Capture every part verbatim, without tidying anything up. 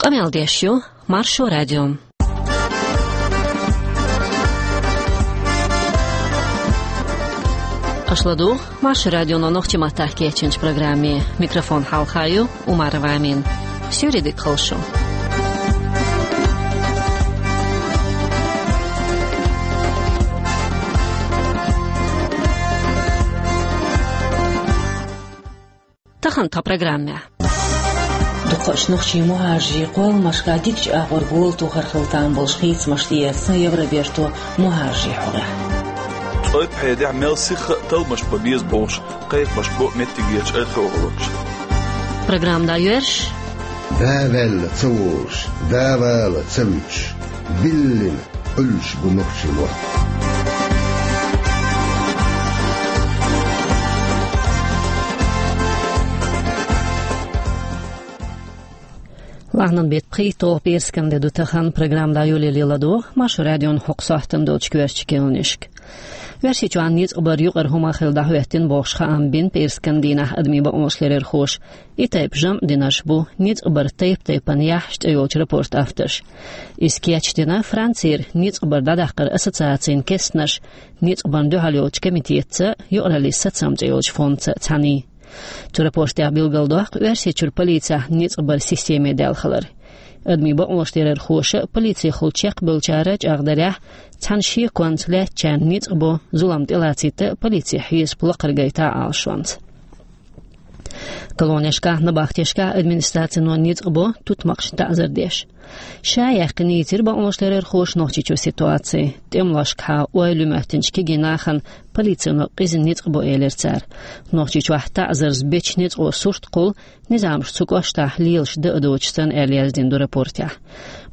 Къамел деш ю Маршо радио. Аша ладугӀу Маршо радионо нохчийн маттахь кечйинчу программе. Микрофон хьалха ю Умарова Амина. Суьйре дика хуьлда шун. Тахана тхан программехь. Дукхачу нохчийн мухӀажарийн кхолламашкахь дикачу агӀор гола тохар хила там болуш хийцамаш тӀеэцна Евроберто мухӀажарийн хьокъехь. Цойпхьедехь мел сиха а талламаш бан беза бохуш, кхайкхамаш бо меттигерчу археологаша. Программа дӀайоьрзуш. Да ваьлла ца волуш, да вала ца вуьтуш, биллина Ӏуьллуш бу нохчийн мотт. Лахьанан беттан пхийтталгӀа пӀераскан де ду тахана, программа дӀайолале ладогӀа Маршо радион хӀокху сохьтана долчу коьртачу керланашка. Оьрсийчохь ницкъ бар юкъара хӀума хилла дӀахӀоьттина бохуш хаам бина пӀераскан дийнахь адамийн бакъонашларъярхоша. И тайпа жамӀ динарш бу «Ницкъ бар тайп-тайпана яхьаш» цӀе йолчу рапортан авторш. Иза кечдина Францера ницкъ бар дӀадаккхаран ассоциацин кестнаш, ницкъ барна дуьхьал йолчу комитетца, юкъараллин сацам цӀе йолчу фондца цхьаьний. Цу рапортехь билгалдоккху Оьрсийчуьра полицехь ницкъ баран системе даьлла хилар. Адамийн бакъонашларъярхоша а, полицехула чекхбевллачара а чӀагӀдарехь, цхьана шеконца лаьттачарна ницкъ бо, зулам тӀелацийтта а полицин хьесап лакхара гайта а Ӏалашонца. Колонешкахь, набахтешкахь администрацино ницкъ бо тутмакхашна таӀзар деш. Ша яьккхина йийцира бакъонашларъярхоша Нохчийчуьра ситуаци. ТӀемалошкахьа ойла ю моьттинчу кегий нахана полицино къиза ницкъ бо, элира цара. Нохчийчохь таӀзарца бечу ницкъо сурт кхуллу, низамаш цу кӀоштахь лелаш дан а доцуш санна, аьлла яздина ду рапортехь.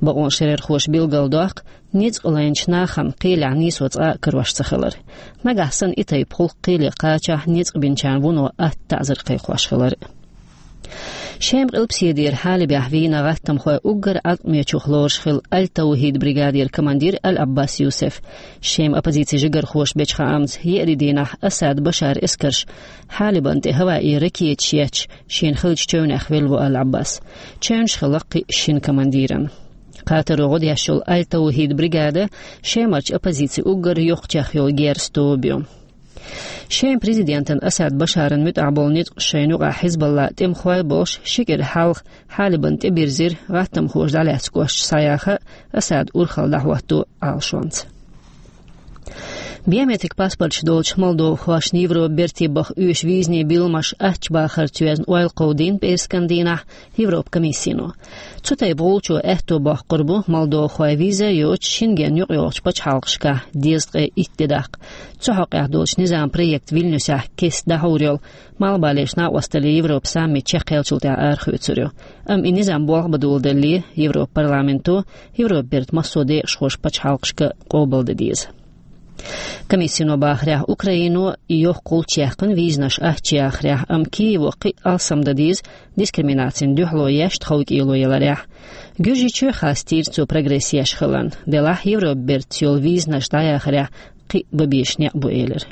Бакъонашларъярхоша билгалдоккху ницкъ лайначу нахана кхелехь нийсо цкъа а карош ца хилар. Нагахь санна и тайпа гӀуллакх кхеле кхачахь, ницкъ бинчарна вуно атта таӀзар кхайкхош хилар. Шеман къилбаседера Хьалибехь вийна гӀаттамхойн уггар Ӏаткъамечух лоруш хилла Аль-Таухид бригадера командир Аль-Аббас Юсеф. Шеман оппозицин жигархоша бечу хаамца, еарин дийнахь Асад Башаран эскарша Хьалибана тӀе хӀаваи ракеташ етташ, шена хиллачу чевнех велла ву Аль-Аббас. Чевнаш хилла кхин шина командиран. Кхатаро гӀо деш йолу Аль-Таухид бригада Шемарчу оппозицин уггар йоккхачех йолу герзан тоба ю. Шеман президентан Асад Башаран муьтӀахь болу ницкъ шайна юкъахь Хьизбаллан тӀемахой болуш ши кӀира хьалха Хьалибана тӀебирзира, гӀаттамхоша дӀалаьцна кошта схьаяха, Асадан урхалла дӀахӀотто Ӏалашонца. Биометрик паспорташ долчу молдовхошна Европа берте баха оьшу визанийн билламаш аттачу бахарца йоьзна ойла кховдийна пӀераскан дийнахь Европа комиссино. Цу тайпа гӀулчо аьтто боккхур бу молдовхой виза йоцуш Шенген юкъайогӀучу пачхьалкхашкахь дезткъе итт де даккха. Цу хьокъехь долчу низаман проект Вильнюсехь кеста дӀахьур йолу Малхбалерчу накъосталлин Европан саммит чекхъеллачул тӀаьхьа арахоьцур ю. Амма и низам болх бан доладалале, Европан парламенто Европан бертан массо а декъашхоша пачхьалкхашка къобалдан деза. Комиссино бахарехь, Украино йоккха гӀулч яьккхина визанаш аттачу яхарехь, амма Киево кхин а алсам дан деза дискриминацина дуьхьало еш тховкӀело яларехь. Гуьржийчоь хастийра цо прогресс еш хиларна, делахь Европан бертаца йолу визанаш дӀаяхарехь кхин а бан безаш некъ бу, элира.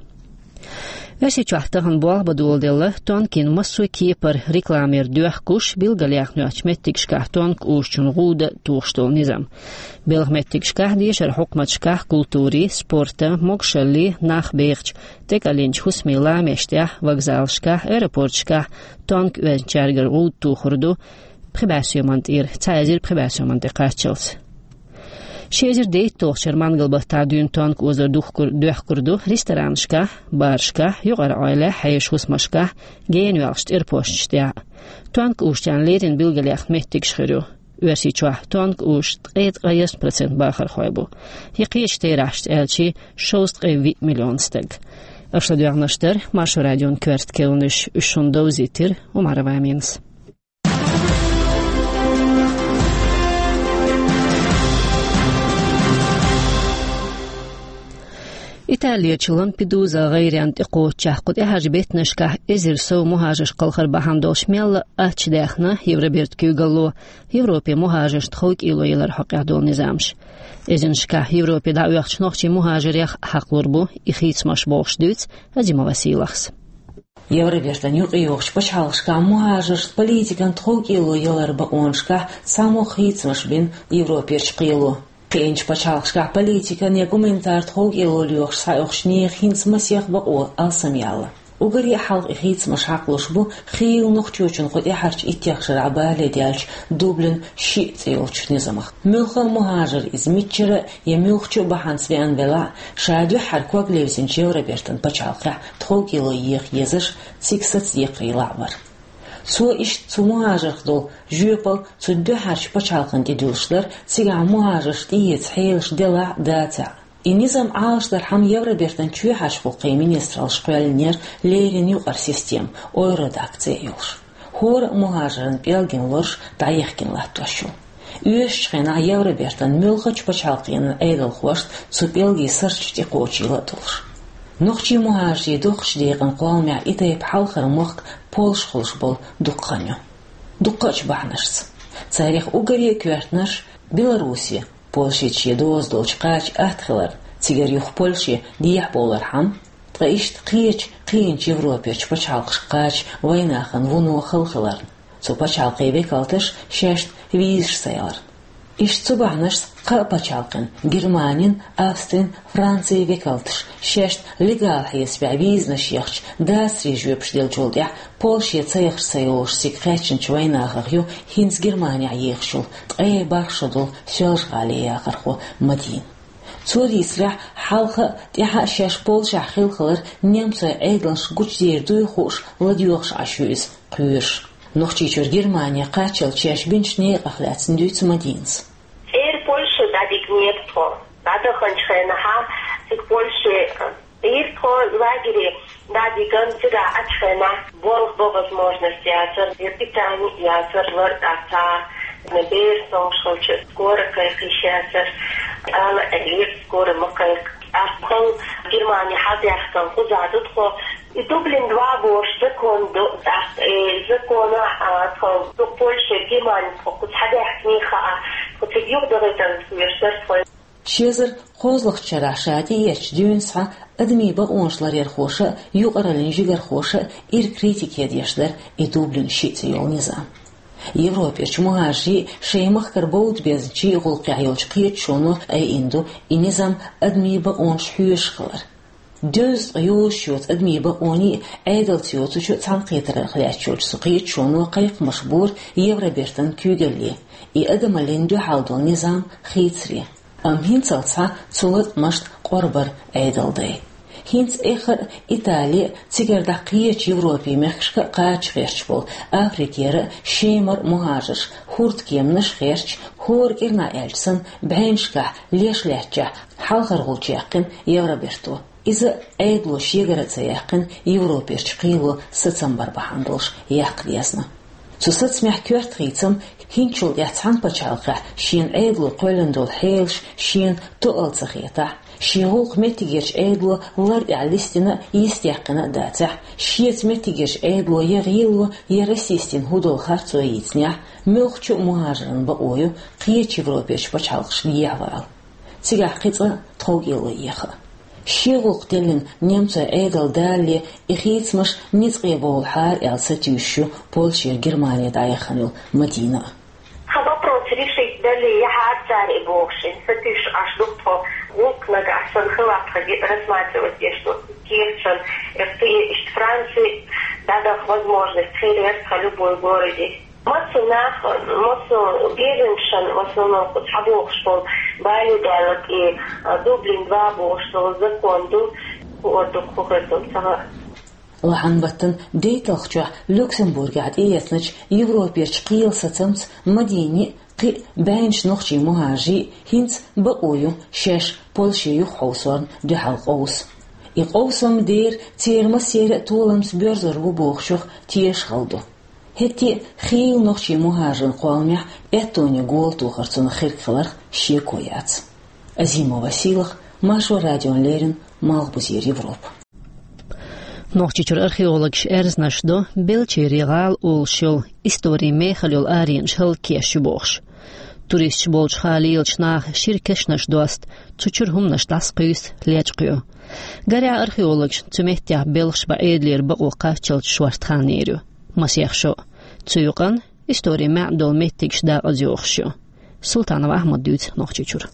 Оьрсийчохь тахана болх бан доладелла тонкийн массо а кепара рекламера доьхкуш, билгалъяьхна йоцчу меттигашкахь тонка узучун гӀуда тухуш долу низам. Белхан меттигашкахь, дешаран хьукматашкахь, культурин, спортан, могушаллин, нах бехачу, тӀекӀалйинчу хӀусамийн ламештехь, вокзалашкахь, аэропорташкахь тонка оьзначаьргара гӀуда тухур ду пхи бӀе соьман тӀера, цхьа эзар пхи бӀе соьман тӀе кхаччалц. Ши эзар дейтталгӀачу шарахь мангал-баттахь дуьйна тонка озар духкур-, доьхкур ду ресторанашкахь, барашкахь, юкъара Ӏойла, хьешан хӀусамашкахь, генаваьллачу тӀерпошчу тӀехь. Тонка узучарна леррина билгалъяьхна меттигаш хир ю. Оьрсийчохь тонка узуш ткъе ткъайесна процент бахархой бу. Я кхечу терахьашца аьлча, шовзткъе виъ миллион стаг. Аша ладоьгӀнарш дара Маршо радион коьрта керланаш, уьш шуна довзийтира Умарова Аминас. Италерчу Лампедуза гӀайренна тӀекхочучехь кху тӀаьхьарчу беттанашкахь эзар сов мухӀажарш кхалхар бахьана долуш мелла а аттачу даьхна Евроберта куьйгалло Европе мухӀажаршна тховкӀело ялар хьокъехь долу низамаш. Эзарнашкахь Европе дӀаоьхучу нохчийн мухӀажарех хьакхалур бу и хийцамаш, бохуш дуьйцу Азимова Сийлахьас. Евробертан юкъе йогӀучу пачхьалкхашкахь мухӀажаршна политикан тховкӀело ялар бакъонашкахь цхьамогӀа хийцамаш бина Европерчу кхело. Кхиъначу пачхьалкхашкахь политикан я гуманитар тховкӀело лоьхуш схьаоьхучу нехан хӀинца масех бакъо алсамъяьлла. Уггаре а хьалха и хийцамаш хьакхалуш бу хийла нохчочун кху тӀаьхьарчу иттех шарахь бале даьллачу Дублин шиъ цӀе йолчу низамах. Муьлхха а мухӀажар, иза мичара а я муьлххачу а бахьанца веана велахь а, ша дуьххьара ког левзинчу Евробертан пачхьалкхехь тховкӀело еха езаш, цига сацадекхарийлахь а вара. Цо иштта цу мухӀажарх долу жоьпалла цу дуьххьарчу пачхьалкхана тӀедуьллуш дара, цигахь мухӀажарш тӀеэца хьелаш делахь а, дацахь а. И низам Ӏалашдархьама Евробертан чоьхьарчу гӀуллакхийн министраллаша кхоьллинера леррина юкъара система, Евродак цӀе а йолуш. ХӀора а мухӀажаран пӀелгина лоруш дӀаехкина латтош ю. Оьшучу хенахь Евробертан муьлххачу пачхьалкхийн Ӏедалхошна цу пӀелгийн сурташ тӀекхочийла а долуш. Нохчийн мухӀажарийн доккхачу декъан кхолламехь и тайпа хьалхара мохк Польша хуьлуш болу дукха хан ю. Дуккхачу бахьанашца. Царех уггаре а коьртанаш Беларуси, Польшица шен доза долчу кхача атта хилар, цигара юха Польше дехьабовлархьама, ткъа иштта кхечу кхиъначу Европерчу пачхьалкхашка кхача вайнахана вуно хала хиларна, цу пачхьалкхийн векалташ шаьшна визаш ца яларна. Иштта цу бахьанашца кхаа пачхьалкхан, Германин, Австрин, Францин векалташ шаьшна легал хьесапехь визанаш ехча, дацаре жоьпаш деллачул тӀаьхьа Польше ца яхаш ца йолуш цига кхаьчначу вайнахах ю хӀинца Германехь ехаш йолу ткъе бархӀ шо долу Соьлжа-ГӀалин яхархо Мадина. Цо дийцарехь, хьалха а, тӀаьхьа а шаьш Польшехь хилла хилар немцойн Ӏедалшна гучудер дуй хууш, ладоьгӀуш Ӏаш ю иза кхоьруш. Нохчийчуьра Германе кхаччалц шаьш бинчу некъах лаьцна дуьйцу Мадинас. ЦӀера Польше дӀадигнера тхо. ДӀадаханчу хенахьа цига Польше Ира тхо лагере дӀадиган, цигахь Ӏачу хенахь болх бан возможность яцара, я питание яцара, лар а ца, бер сончу хилча, скорая кхайкхийша яцара, ала элира, скорая ма кхайкха. ТӀаккха Германи хьалдаьхкина кхуза ду тхо. И Дублин два бохуш закон ду, тӀаккха и закона, а, тхо ду Польше, Германи тхо кхуза хьадаьхкина хаа, тхо цига юхадахийтарна хьоьжуш дара тхо. Ши эзар кхозлагӀчу шарахь ша тӀеэцначу дуьйна схьа адамийн бакъонаш ларъярхоша а, юкъараллин жигархоша а ира критике деш дара и Дублин шиъ цӀе йолу низам. Европерчу мухӀажарийн, шайн махкара бовда безначийн гӀуллакхехь йолчу кхеташоно айина ду и низам адамийн бакъонаш хьоьжуш хилар. Дезткъа йозуш йоцу адамийн бакъонийн а, Ӏедалца йоцучу цхьаьнакхетарх лаьтташ йолчу цу кхеташоно кхайкхамаш бора Евробертан куьйгалле, и адамаллин дуьхьал долу низам хийцаре. Амма хӀинцалц схьа цу латкъамашна къорбар Ӏедал дай. ХӀинца эххар а, Итали а, цигара дӀа кхечу Европин мехкашка а кхача гӀерташ болу, Африкера а, Шемара а мухӀажарш, хӀордкеманаш а гӀерташ, хӀора кӀирнахь аьлча санна, бӀеннашкахь леш лаьттачехь, хьалхара гӀулч яьккхина Евроберто. Иза Ӏедало шегара а ца яьккхина, Европерчу кхело сацам бар бахьана долуш яккха дезна. Цу сацамехь коьрта хийцам хӀинцачул тӀаьхьа цхьана пачхьалкхехь шена Ӏедало кхоьллина долу хьелаш шена тоъал ца хетахь, шен гӀуллакх меттигерчу Ӏедало лар тӀехь листина а, йистехкина а дацахь, шеца меттигерчу Ӏедало я гӀело, я расистина хӀу долу харцо йийцинехь, муьлххачу а мухӀажаран бакъо ю кхечу Европерчу пачхьалкхашка дехьавала. Цигахь кхин цкъа тховкӀело еха. Шен гӀуллакх деллина немцойн Ӏедал далале, и хийцамаш ницкъе бовлахьара аьлла сатуьйсуш ю Польшера Германе дӀаяхана йолу Мадина а. Хьан вопрос решить дале, яхьара цара и бохуш, сатуьйсуш Ӏаш ду тхо, гӀуллакх нагахь санна хилахь тхо рассматривать деш ду кехаташна, иштта Франци дӀадаха возможность хир яра тхан любой городе. Массо нах, массо беженцашна в основном кху цхьабохуш болу бале даьлла и, а, Дублин два бохуш долу закон ду, кху а ду, кху хир ду, ца хаьа. Лахьан баттана дейтталгӀачохь Люксембургехь тӀеэцначу Европерчу кхелан сацамца Мадини а, кхин а бӀеннаш нохчийн мухӀажарийн а хӀинца бакъо ю шаьш Польше юхахьовсорна дуьхьал къовса. И къовсам дера церан массеран а толамца боьрзур бу бохучух тешахалла ду. ХӀетте а хийла нохчийн мухӀажаран кхолламехь аьттонан гола тохар цунах хирг хиларх шеко яц. Азимова Сийлаха, Маршо радиона леррина, Малхбузера Европа. Нохчийчуьра археологаш аьрзнаш до Белчери гӀала олуш йолу историн мехала йолу аренаш хӀаллакъеш ю бохуш. Туристаш болчу хала лелачу наха шира кешнаш доста, цу чуьра хӀуманаш дӀасакхуьйсу, лечкъайо. Гарехь, археологашна цу меттехь белхаш бан Ӏедалера бакъо кхаччалц шорта хан йийр ю, масех шо. Цу юкъана историн маьӀна долу меттигаш дакъаза йохуш ю. Султанов Ахьмада дуьйцу Нохчийчуьра.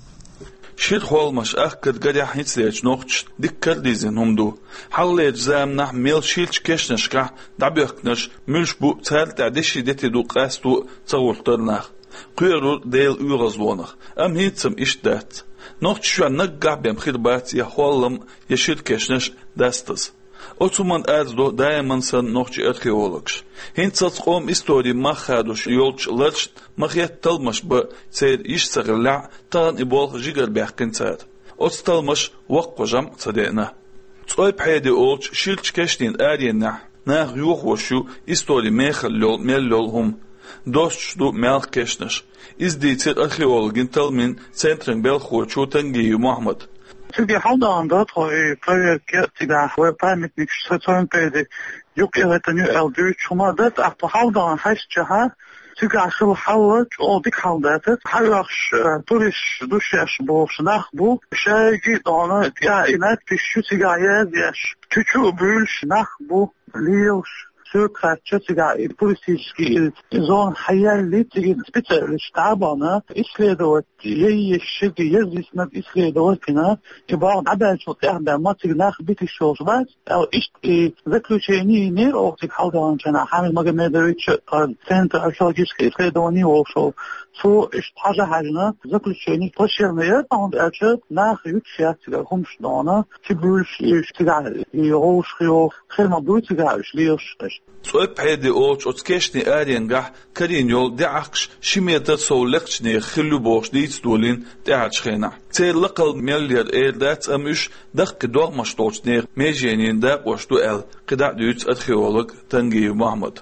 Шира хӀолламаш ахкар гарехь хӀинцалерчу нохчашна дика карадирзина хӀума ду. Хьалхалерчу заманахь мел ширачу кешнашкахь дӀабоьхкинарш муьлш бу, царна тӀехь деши дети ду къасто а ца гӀортара нах. Кхоьрура Делан оьгӀазлонах, амма хӀинца-м иштта дац. Нохчийчохь наггахь бен хир бац я хӀоллам, я шира кешнаш дастаза. Оцу хӀуманна арз до даиман санна нохчийн археологаш. ХӀинцалц къоман историн мах хадош йолчу ларшна ма-хетта талламаш бан церан йиш ца хиллехь а, тахана и болх жигара баьккхина цара. Оцу талламаша воккха жамӀ ца деана. ЦӀойпхьеди олучу ширачу кешнийн аренехь наха йохош ю историн мехала йолу мел йолу хӀума. Достуш ду маьлхан кешнаш. Иза дийцира археологийн талламийн центран белхахочо Тангиев Мохьмада. Цига хьалдагӀана дан тхо и проверка, цигахь вайн памятникаш ЦӀойпхьеди юккъе гӀеттина ю аьлла дуьйцуш хӀума дац, тӀаккха тхо хьалдагӀана хьаьжча, цигахь хилла хьал чӀогӀа дика хьал дац. Хьаоьхуш, э, туристаш ду шаьш бохуш нах бу, шайга а дона тӀехь и надписаш ю цигахь язъеш, чу-чу а буьйлуш нах бу, лелаш. Соьга хаьттича, цигахь и туристический и зона хьаеллий, цига специалисташ дӀа а бахна, исследовать яйъеш, шега язъяснарг исследовать йина, и болх дӀабаьллачул тӀаьхьа бен ма цига нах биташ йолуш бац аьлла, иштта и заключение йинера оха цига хьалдагӀначарна, Хьамид Магомедович, тхан центр археологических исследований волуш волу. Цо иштта хьажа-хьаьжна, заключение плачевное яра, хӀунда аьлча наха юьтуш яц цигара хӀумаш дона, чу буьйлуш уьш цигахь и гӀовшах йоху, хир ма буй цигахь уьш лелаш. ЦӀойпхьеди олучу оцу кешнийн аренгахь карийна йолу деӀахкаш ши метр сов лекхачу нехан хилла ю бохуш дийца долийна тӀаьхьарчу хенахь. Церан лакхал мел яра эр дац, амма уьш дахкий догӀмаш долчу нехан меженийн дакъош ду аьлла, кхидӀа а дуьйцу археолог Тангиев Мохьмада.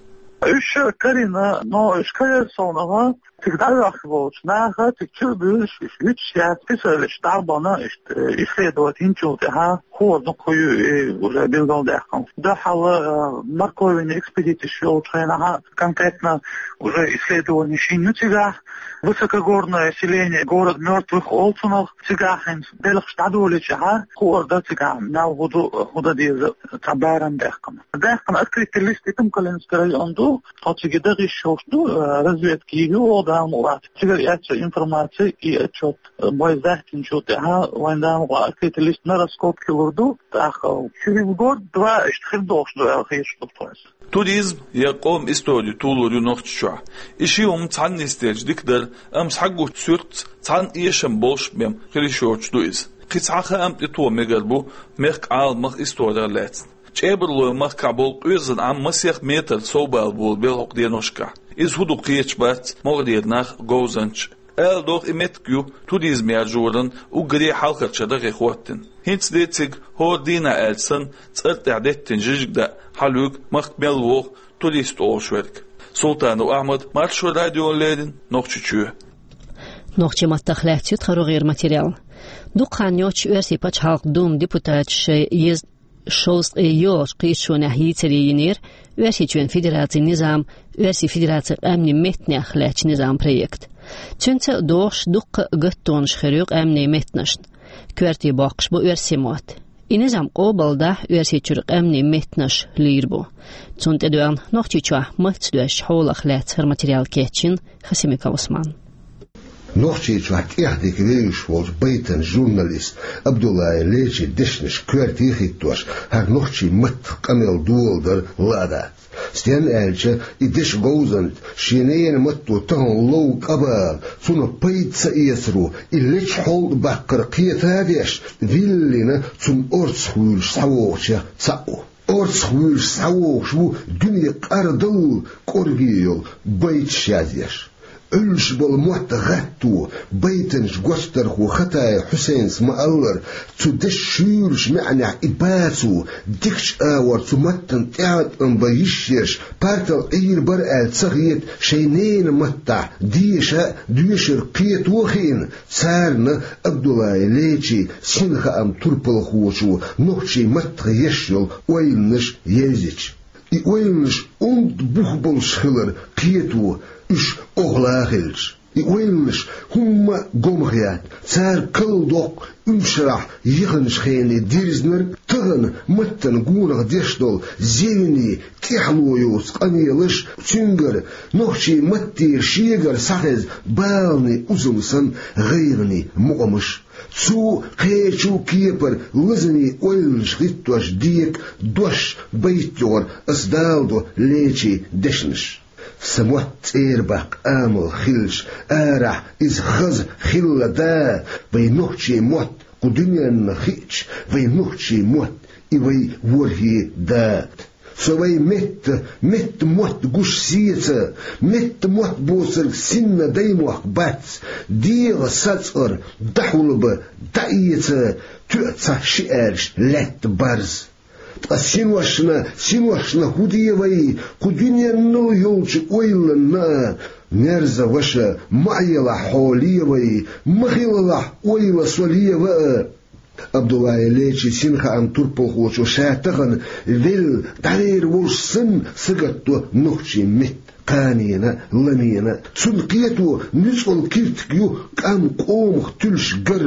Уьш карийна, но уьш карийра совнаха, цига дӀаоьхуш болчу наха, цига чу а буьйлуш, уьш юьтуш яц, писараллаш дӀа а бахна, иштта, э, исследовать йинчул тӀаьхьа хӀора дукха ю и уже билгалдаьккхина. Дуьххьал, э, морковинный экспедицеш йолчу хенахь конкретно уже исследование шина ю цигахь. Высокогорное селение, город мёртвых олу цунах, цигахь хӀинца белхаш дӀадолийча, хӀора дан цигахь мел хӀун ду, хӀун дан деза, цхьа барам баьккхина. Баьккхина открытый лист Итум-Калинский район ду, тхо цига даха йиш йолуш ду, э, разведка йийр ю оха Дала мукъ лахь. Цигара эцна информаци и отчет, э, бой захтинчул тӀаьхьа вайн Дала мукъ лахь открытый лист на раскопки лур ду, тӀаккха через год-два иштта хир долуш ду аьлла хеташ ду тхуна. Туризм я къоман истори толур ю Нохчийчохь. И ши хӀума цхьаьна нисделча дика дара, амма схьагучу суьртаца цхьаьна эшам болуш бен хила йиш йоцуш ду иза. Кхин цхьа хаам тӀетоха мегар бу мехкан Ӏаламах историх лаьцна. ЧӀебарлойн махкахь болу къоьзан Ӏам масех метр совбала болу белхьокху деношкахь. Иза хӀун ду кхеташ бац могӀарера нах, говзанчаш. Ала догӀу, и меттиг ю туризм яржоран уггаре хьалхарчу дахе хӀоттийна. ХӀинца де цига хӀора дийнахь аьлча санна, цӀар тӀехь деттина жижиг даа хьалуьйгу махка мел воху турист олуш верг. Султанов Ахьмад, Маршо радиона леррина, Нохчийчоь. Нохчийн маттах лаьцна ю тхан рогӀера материал. Дукха хан йоццуш Оьрсийн пачхьалкхан Думан депутаташа шайн еза шовзткъе йолчу кхеташонехь йийцаре йинера Оьрсийчоьнан Федерацин низам, Оьрсийн Федерацин къаьмнийн меттанех лаьттачу низаман проект. Цуьнца а догӀуш дуккха а гаттонаш хир ю къаьмнийн меттанашна. Коьрте боккхуш бу оьрсийн мотт. И низам къобалдахь, Оьрсийчуьра къаьмнийн меттанаш лийр бу. Цунна тӀедоьгӀна Нохчийчохь маттаца доьзначу хьолах лаьцна хӀара материал кечйина Хасимиков Усмана. Нохчийчохь тӀехдика вевзаш волчу байтан журналист Абдуллаев Лечин дешнаш коьрте хӀиттош, хӀара нохчийн маттах къамел доладар лаа дац. Стенна аьлча, и дешан говзанча шен ненан матто тахана лов къа бала, цунах пайда ца эцаро, и лечу хьол тӀе баккхар кхета а деш, виллина цунна орцах вуьйлуш схьавогӀучех цхьаъ ву. Орцах вуьйлуш схьавогӀуш ву дуьне къардаллал кӀорге йолу байташ язъеш. Ӏуьллуш болу мотт гӀатто, байтанчу гочдархо Хатаев Хьусайнас ма-аллара, цу дешан шуьйрачу маьӀнехь и бацо, дикачу агӀор цу маттана тӀеӀаткъам бан йиш еш, партал Ӏийр бара аьлла ца хета, шайн ненан маттахь деша а, доьшург кхето а хиъна, царна Абдуллаев Лечин синхааман турпалхочо нохчийн маттах еш йолу ойланаш евзича. И ойланаш онда бух болуш хилар кхето, уьш охьала хилча. И ойланаш хӀумма а гомхаят, цар калдоккху уьншарахь яханчу хенийн дирзинарг, тахана маттана гонах деш долу зевний тӀаьхьало йоцу къамелаш, цуьнгара нохчийн маттера шегара схьахеза баланийн узам санна гӀайгӀанийн мукъамаш. Цу кхечу кепара лазаме ойланаш хӀиттош дека дош байта йогӀура ас даладо лечийн дешнаш. Сан мотт цӀера баккха амал хилча, арахь иза хаза хилла да, вайн нохчийн мотт кху дуьненна хиъча, вайн нохчийн мотт и вай ворхӀе да. Со вай метта, метта мотт гуш сеца, метта мотт боцург синна даймохк бац, дегӀан сацкъара дӀахьулба, дӀаэца, тоьа цхьа ши аьрш лаьтта барз. Ткъа синошна, синошна хӀун де вай, кху дуьненал йолчу ойланна? Мерза ваша, ма Ӏелахь хьо ле вай, ма хилалахь ойла со лева а. Абдуллаев Лечин синхааман турпалхочо ша тахана велла дӀавер волуш санна сагатдо нохчийн метта, кханенан а, ламенан а. Цунна кхето нуьцкъала киртиг ю кӀам къомах туьллуш гар,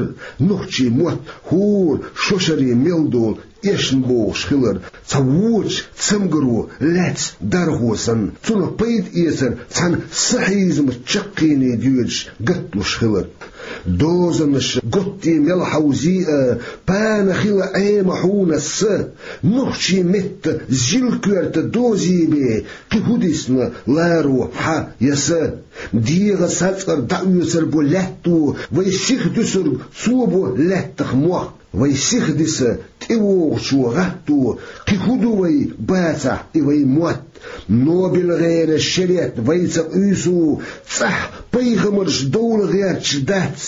нохчийн мотт хӀора шо шаре мел долу эшна богӀуш хилар, цхьа вочу цамгаро лаьцна дархо санна, цунах пайда эцар цхьана сахьизмат чаккхене доьдуш гатдеш хилар. Дозанаш готте мел хьовзий а, пана хила Ӏема хьуна аса, нохчийн метта зил-коьрта дозийбе, кхин хӀун дисна ларо хьан я сан? ДегӀан сацкъара дӀаоьцур бу лаьтто, вай сиха дуьсург цо бу лаьттах мох. Вай сиха диса тӀевогӀучо гӀатто, кхин хӀун ду вай бацахь и вай мотт? Нобелан гӀеран шерет вай ца къуьйсу, цӀахь пайхамарш довла гӀерташ дац,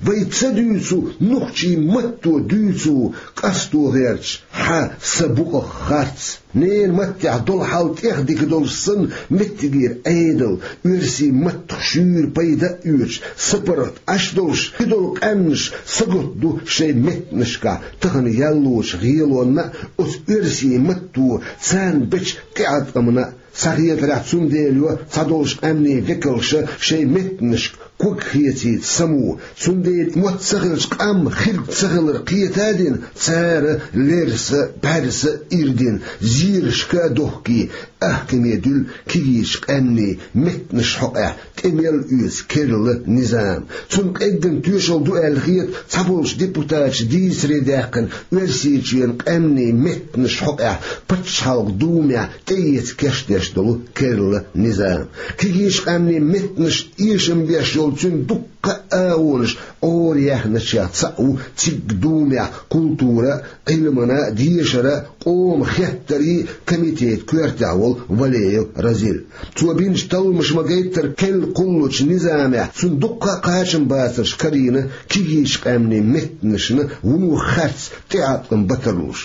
вай ца дуьйцу, нохчийн матто дуьйцу, къасто гӀерташ хьан сан букъах харц. Ненан маттехь долу хьал тӀех дика долуш санна, меттигера Ӏедал, оьрсийн маттах шуьйра пайда а оьцуш, сапаргӀат Ӏаш долуш, и долу къаьмнаш сагатду шайн меттанашкахь тахана яллочу гӀелонна а, оцу оьрсийн матто царна бечу тӀеӀаткъамна а. Схьахетарехь, цундела йо цхьадолчу къаьмнийн векалша шайн меттанашка ког хецийта само, цундела мотт ца хилча къам хирг ца хилар кхета а дина, цара лерса, бӀаьрса а ирдина, зерашка а дохкий, ахкаме дуьллу кегийчу къаьмнийн меттанаш хьокъехь тӀе мел оьцу керла низам. Цунна къеггина тоьшалла ду аьлла хета цхьаболчу депутаташа дийцаре даьккхина Оьрсийчоьнан къаьмнийн меттанаш хьокъехь пачхьалкхан думехь тӀеэца кечдеш долу керла низам. Кегийчу къаьмнийн меттанаш эшам беш йолу цуьнан дуккха а агӀонаш Ӏораяьхначех цхьаъ ву цига думехь культура а, Ӏилмана а, дешара а, къоман хеттарийн а комитетан коьртехь волу Валеев Разил. Цо бинчу талламаша ма-гайттара керла кхуллучу низамехь цунна дуккха а кхачамбацарш карийна кегийчу къаьмнийн меттанашна вуно харц тӀеӀаткъам бан тарлуш.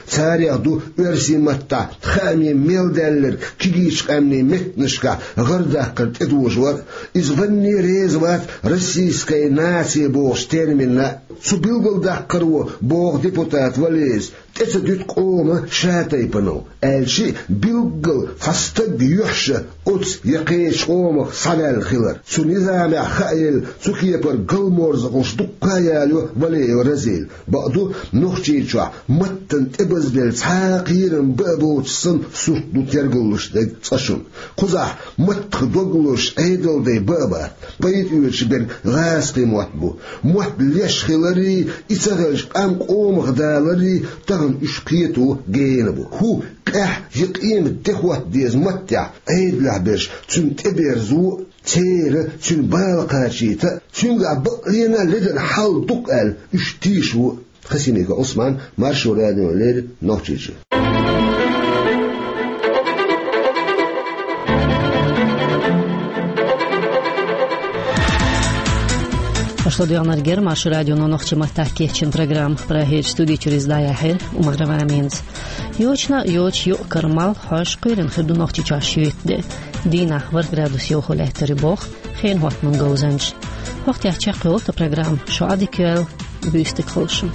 Царех ду оьрсийн маттахь хаамийн мел даьлларг кегийчу къаьмнийн меттанашкахь гӀар даккхар тӀедожор а. Иза ванне реза вац «российская нация» бохучу терминна а. Цу билгалдаккхаро, боху депутата Валеевс, тӀе ца дуьту къоман шатайпанал, аьлча а билггал цхьа стаг йоьхна оцу я кхечу къомах схьаваьлла хилар. Цу низамехь хааелла цу кепара галморзахаллаш дуккха а ялайо Валеев Разила. Бакъду, Нохчийчохь маттана тӀебазделла цхьа а кхерам бан а боцуш санна сурт ду тергаллуш дерг цкъа шуна. Кхузахь маттах дог лозуш Ӏедалдай бан а бац, пайда оьцуш берг гӀазкхийн мотт бу. Мотт леш хиларрий, и ца хилча къам къомах даларрий, тахана уьш кхето гена бу. ХӀу, къаьхьа я къемат де хӀотта деза маттехь Ӏедалехь берш цуьнан тӀеберзо а, церан цуьнан бала кхачийта а, цуьнгахь бакълена а ледара хьал ду-кх аьлла, уьш тийша ву а. Хасимиков Ӏусман, Маршо радиона леррина, Нохчийчоь. Аша ладоьгӀнарг яра Маршо радион нохчийн маттахь кечйина программа. Прагерчу студи чуьра иза дӀаяьхьира Умарова Аминас. Йочана а йоцуш юкъ-кара малх хьожуш кхоьруш хир ду Нохчийчохь шоьтан де. Дийнахь ворхӀ градус йовхо лаьттар ю боху хенан хӀоттаман говзанчаша. ХӀокху тӀехь чекхйолу тхан программа. Шу Ӏадика йойла, буьйса дика хуьлда шун.